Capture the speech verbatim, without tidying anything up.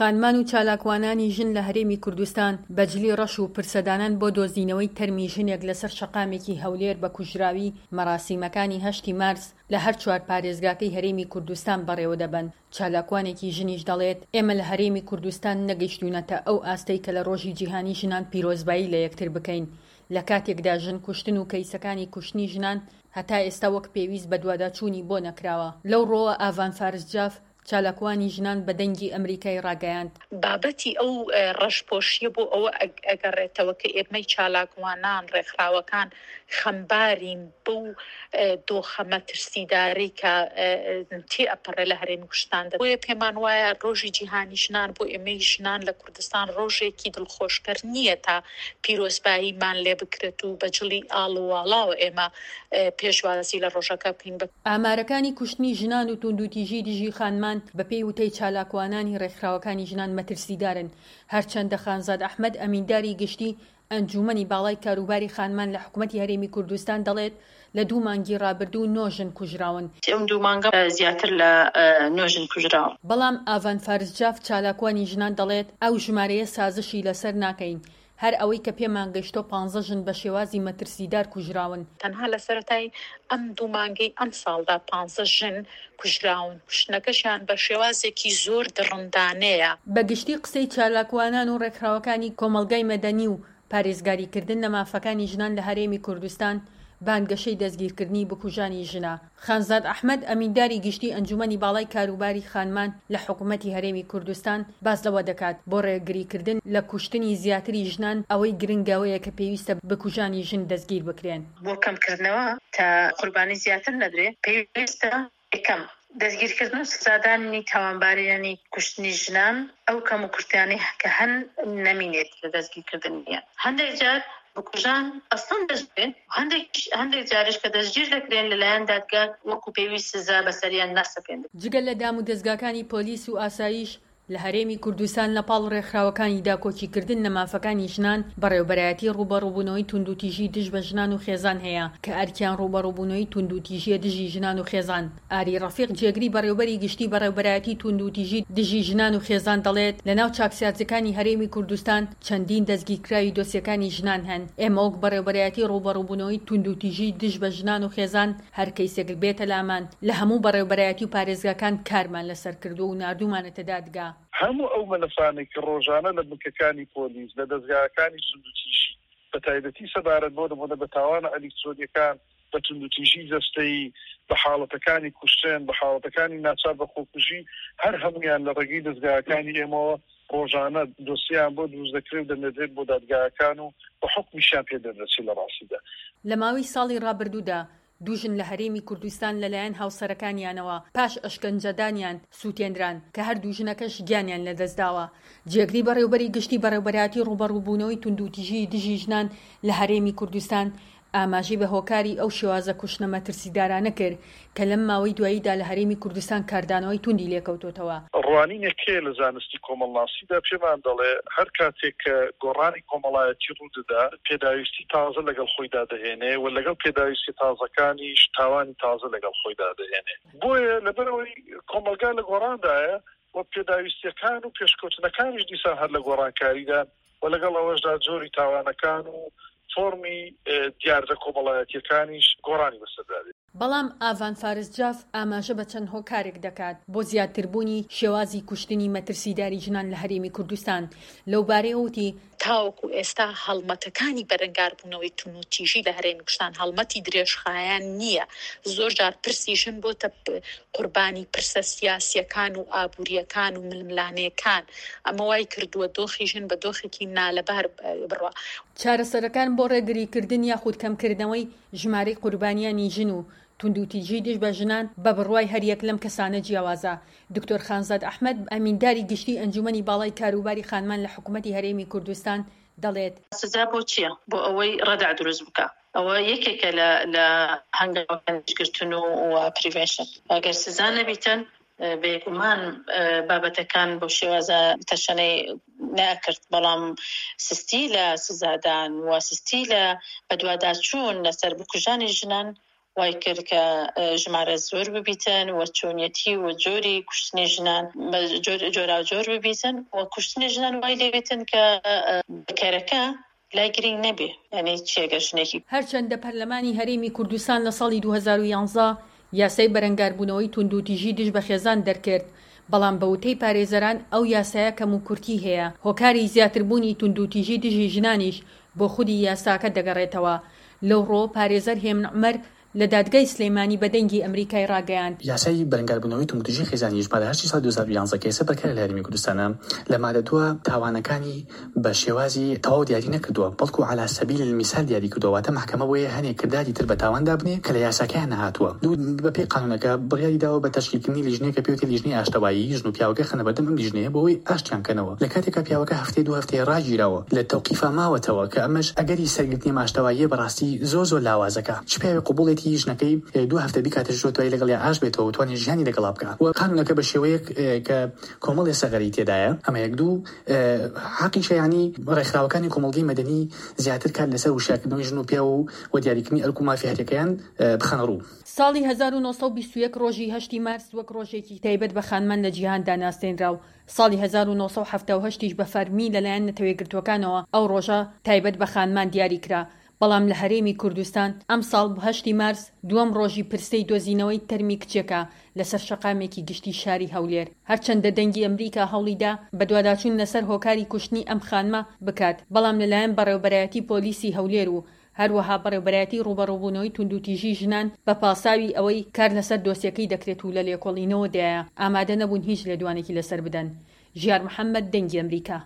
خانمان و چالاکوانانی ژن لە هەرێمی کوردستان بە جلی ڕەش و پرسەدانان بۆ دۆزینەوەی تەرمی ژنێک لەسەر شەقامێکی هەولێر بە کوژراوی مەراسیمەکانی هەشتی مارس لە هەر چوار پارێزگاکەی هەرێمی کوردستان بەڕێوەدەبەن. چالاکوانێکی ژنیش دەڵێت، ئێمە لە هەرێمی کوردستان نەگەیشتوونەتە ئەو ئاستەی کە لە ڕۆژی جیهانی ژنان پیرۆزبایی لە یەکتر بکەین، لە کاتێکدا ژن کوشتن و کەیسەکانی کوشتنی ژنان هەتا ئێستا وەک پێویست بەدواداچوونی بۆ نەکراوە. لەو ڕووەوە ئاڤان فارس جاف، چالاکوانی ژنان بە دەنگی ئەمریکای ڕاگەیاند، بابەتی ئەو ڕەشپۆشیە بۆ ئەوە ئەگەڕێتەوە کە ئێمەی چالاکوانان، ڕێکخراوەکان خەمبارین بەو دۆخە مەترسیدارەی کە تێئەپەڕێ لە هەرێمی کوردستاندا. بۆیە پێمان وایە ڕۆژی جیهانی ژنان بۆ ئێمەی ژنان لە کوردستان ڕۆژێکی دڵخۆشکەر نییە تا پیرۆزباییمان لێ بکرێت و بە جڵی ئاڵ و واڵاوە ئێمە پێشوازی لە ڕۆژەکە بکەین. ئامارەکانی کوشتنی ژنان و توندوتیژی دژی خانمان بەپێی وتەی چالاکوانانی ڕێکخراوەکانی ژنان مەترسیدارن. هەرچەندە خانزاد ئەحمەد ئەمینداری گشتی ئەنجومەنی باڵای کاروباری خانمان لە حکومەتی هەرێمی کوردستان دەڵێت لە دوو مانگی ڕابردوو نۆ ژن کوژراون. ئەم دوو مانگە زیاتر لە نۆ ژن کوژراون. بەڵام ئاڤان فارس جاف چالاکوانی ژنان دەڵێت ئەو ژمارەیە سازشی لەسەر ناکەین، هەر ئەوەی کە پێمان گەیشتۆ پانزە ژن بە شێوازی مەترسیدار کوژراون. تەنها لە سەرەتای ئەم دوو مانگەی ئەم ساڵدا پانزە ژن کوژراون، کوشتنەکەشیان بە شێوازێکی زۆر دڕندانەیە. بە گشتی قسەی چالاکوانان و ڕێکخراوەکانی کۆمەڵگای مەدەنی و پارێزگاریکردن لە مافەکانی ژنان لە هەرێمی کوردستان بانگەشەی دەستگیرکردنی بکوژانی ژنە. خانزاد ئەحمەد ئەمینداری گشتی ئەنجومەنی باڵای کاروباری خانمان لە حکومەتی هەرێمی کوردستان باس لەوە دەکات بۆ ڕێگریکردن لە کوشتنی زیاتری ژنان ئەوەی گرنگەوەیە کە پێویستە بکوژانی ژن دەستگیر بکرێن. بۆ کەمکردنەوە تا قوربانی زیاتر نەدرێ پێویستە یەکەم دەستگیرکردن و سزادانی تاوانبارانی کوشتنی ژنان، ئەو کەم و کورتیانەی کە هەن نەمینێت لە دەستگیرکردنیان. هەندێک جار بکوژان ئەسڵەن دەستگیرن، هەندێک جاریش کە دەستگیر دەکرێن لەلایەن دادگا وەکو پێویست سزا بەسەریان ناسەپێنرێت. جگە لە دام و دەزگاکانی پۆلیس و ئاسایش لە هەرێمی کوردستان لە پاڵ ڕێکخراوەکانی داکۆکیکردن لە مافەکانی ژنان بەڕێوبەرایەتی ڕووبەڕووبوونەوەی توندوتیژی دژ بە ژنان و خێزان هەیە کە ئەرکیان ڕووبەڕووبوونەوەی توندوتیژیە دژی ژنان و خێزان. ئاری ڕەفیق جێگری بەڕێوبەری گشتی بەڕێوبەرایەتی توندوتیژی دژی ژنان و خێزان دەڵێت لەناو چاکسازیەکانی هەرێمی کوردستان چەندین دەستگیرکراوی دۆسیەکانی ژنان هەن. ئێمە وەک بەڕێوبەرایەتی ڕووبەڕووبوونەوەی توندوتیژی دژ بە ژنان و خێزان هەر کەیسێک بێتە لامان لە هەموو بەڕێوبەرایەتی و پارێزگاکان کارمان لەسەر کردووە و ناردوومانەتە دادگا. هەموو ئەو مەلەفانەی کە ڕۆژانە لە بنکەکانی پۆلیس لە دەزگاکانی توندوتیژی بە تایبەتی سەبارەت بۆ نمونە بە تاوانە ئەلیکترۆنیەکان، بە توندوتیژی جەستەیی، بە حاڵەتەکانی کوشتن، بە حاڵەتەکانی ناچار بە خۆکوژی، هەر هەمویان لە ڕێگەی دەزگاکانی ئێمەوە ڕۆژانە دۆسیان بۆ دروست دەکرێت و دەنێردرێت بۆ دادگاکان و بە حوکمیشیان پێ دەردەچێت لە ڕاستیدا. لە ماوەی ساڵی ڕابردوودا دوو ژن لە هەرێمی کوردستان لەلایەن هاوسەرەکانیانەوە پاش ئەشکەنجەدانیان سووتێنران کە هەردوو ژنەکەش گیانیان لەدەستداوە. جێگری بەڕێوبەری گشتی بەڕێوبەرایەتی ڕووبەڕووبوونەوەی توندوتیژی دژی ژنان لە هەرێمی کوردستان ئاماژەی بە هۆکاری ئەو شێوازە کوشتنە مەترسیدارانە کرد کە لەم ماوەی دواییدا لە هەرێمی کوردستان کاردانەوەی توندی لێکەوتۆتەوە. ڕوانینێک هەیە لە زانستی کۆمەڵناسیدا پێمان دەڵێ هەر کاتێک کە گۆڕانی کۆمەڵایەتی ڕوودەدا پێداویستی تازە لەگەڵ خۆیدا دەهێنێ و لەگەڵ پێداویستی تازەکانیش تاوانی تازە لەگەڵ خۆیدا دەهێنێ. بۆیە لەبەرەوەی کۆمەڵگا لە گۆڕاندایە و پێداویستیەکان و پێشکەوتنەکانیش دیسان هەر لە گۆڕانکاریدا و لەگەڵ ئەوەشدا جۆری تاوانەکان و فۆرمی دیاردە کۆمەڵایەتیەکانیش گۆڕانی بەسەردا دێت. بەڵام ئاڤان فارس جاف ئاماژە بە چەند هۆکارێک دەکات بۆ زیاتربوونی شێوازی کوشتنی مەترسیداری ژنان لە هەرێمی کوردستان. لەو بارەیەوە وتی، تاوەکو ئێستا هەڵمەتەکانی بەرەنگاربوونەوەی توندوتیژی لە هەرێمی کوردستان هەڵمەتی درێژخایەن نییە. زۆر جار پرسی ژن بۆتە قوربانی پرسە سیاسیەکان و ئابووریەکان و ململانێکان. ئەمە وای کردووە دۆخی ژن بە دۆخێکی نالەبار بڕوا. چارەسەرەکان بۆ ڕێگریکردن یاخود کەمکردنەوەی ژمارەی قوربانیانی ژن و توندوتیژی دژ بە ژنان بە بڕوای هەریەک لەم کەسانە جیاوازە. دکتۆر خانزاد ئەحمەد ئەمینداری گشتی ئەنجومەنی باڵای کاروباری خانمان لە حکوومەتی هەرێمی کوردستان دەڵێت، سزا بۆ چییە؟ بۆ ئەوەی ڕەدع دروست بکە. ئەوە یەکێکە لە لە هەنگاوەکانی و prevention. ئەگەر سزا نەبیتن بێگومان بابەتەکان بۆ شێوازە تەشەنەی ناکرد، بەڵام سستی لە سزادان و سستی لە بەدواداچوون لەسەر بکوژانی ژنان وای کرد کە ژمارە زۆر ببیتن و چۆنیەتی و جۆری کوشتنی ژنان بە جۆراوجۆر ببیتن و کوشتنی ژنان وای لێبێتن کە بکەرەکە لای گرینگ نەبێ، یانی چی ئەگەر ژنێکی. هەرچەندە پەرلەمانی هەرێمی کوردستان لە ساڵی دوو هەزار و یازدە یاسای بەرەنگاربوونەوەی توندوتیژی دژ بە خێزان دەرکرد، بەڵام بە وتەی پارێزەران ئەو یاسایە کەموکورتی هەیە، هۆکاری زیاتربوونی توندوتیژی دژی ژنانیش بۆ خودی یاساکە دەگەڕێتەوە. لەو ڕووەوە پارێزەر هێمن عومەر لە دادگای سلێمانی بە دەنگی ئەمریکای ڕاگەیاند، یاسای بەرەنگاربوونەوەی توندوتیژی خێزانی ژمارە هەشتی ساڵی دوو هەزار و یازدە کە ئێستا بەرکارە لە هەرێمی کوردستانە لە مادە دووە تاوانەکانی بە شێوازی تەواو دیاری نەکردووە بەڵکو علی سبیل المثال دیاری کردووە واتە مەحکەمە بۆیە هەنێ کرداری تر بە تاوان دابنێ کە لە یاساکەیان نەهاتووە. دوو، بە پێی قانوونەکە بڕیاری داوە بە تەشکیلکردنی لیژنەیەک کە پێوترێ لیژنەی ئاشتەوایی ژن و پیاوەکە خەنە بەردەم ئەم لیژنەیە بۆ ئەوەی ئاشتیان کەنەوە لە کاتێکا پیاوەکە هەفتەیە دوو هەفتەیە ڕاگیراوە لە تەوقیفا ماوەتەوە کە ئەمەش ئەگەری سەرگرتنی ئەم ئاشتەواییە بەڕاستی زۆر زۆر لاوازەکا چ پیاوێک قبوڵیەتی ژنەکەی دوو هەفتە بیکاتە ژوور دوایی لەگەڵیا ئاشت بێتەوە و توانێ ژیانی لەگەڵا بکا و قانوونەکە بە شێوەیەک کە کۆمەڵێ سەغەرەی تێدایە ئەمە یەک دوو حەقیشە یانی ڕێکخراوەکانی کۆمەڵگەی مەدەنی زیاتر کار لەسەر وشیارکردنەوەی ژن و پیاو و دیاریکردنی ئەرک و مافی هەریەکەیان بخەنە ڕوو. ساڵی هەزار و نۆ سەد و بیست و یەک ڕۆژی هەشت ی مارس وەک ڕۆژێکی تایبەت بە خانمان لە جیهاندا ناسێنرا و ساڵی هەزار و نۆ سەد و حەفتا و هەشت یش بە فەرمی لەلایەن نەتەوەیەکگرتووەکانەوە ئەو ڕۆژە تایبەت بە خانمان دیاری کرا بەڵام لە هەرێمی کوردستان ئەمساڵ هەشتی مارس دووەم ڕۆژی پرسەی دۆزینەوەی تەرمی کچێکە لەسەر شەقامێکی گشتی شاری هەولێر. هەرچەندە دەنگی ئەمریکا هەوڵیدا بەدواداچوون لەسەر هۆکاری کوشتنی ئەم خانمە بکات، بەڵام لەلایەن بەڕێوەبەرایەتی پۆلیسی هەولێر و هەروەها بەڕێوەبەرایەتی ڕووبەڕووبوونەوەی توندوتیژی ژنان بە پاساوی ئەوەی کار لەسەر دۆسیەکەی دەکرێت و لە لێکۆڵینەوەدایە ئامادە نەبوون هیچ لێدوانێکی لەسەر بدەن. ژیار محەمەد، دەنگی ئەمریکا.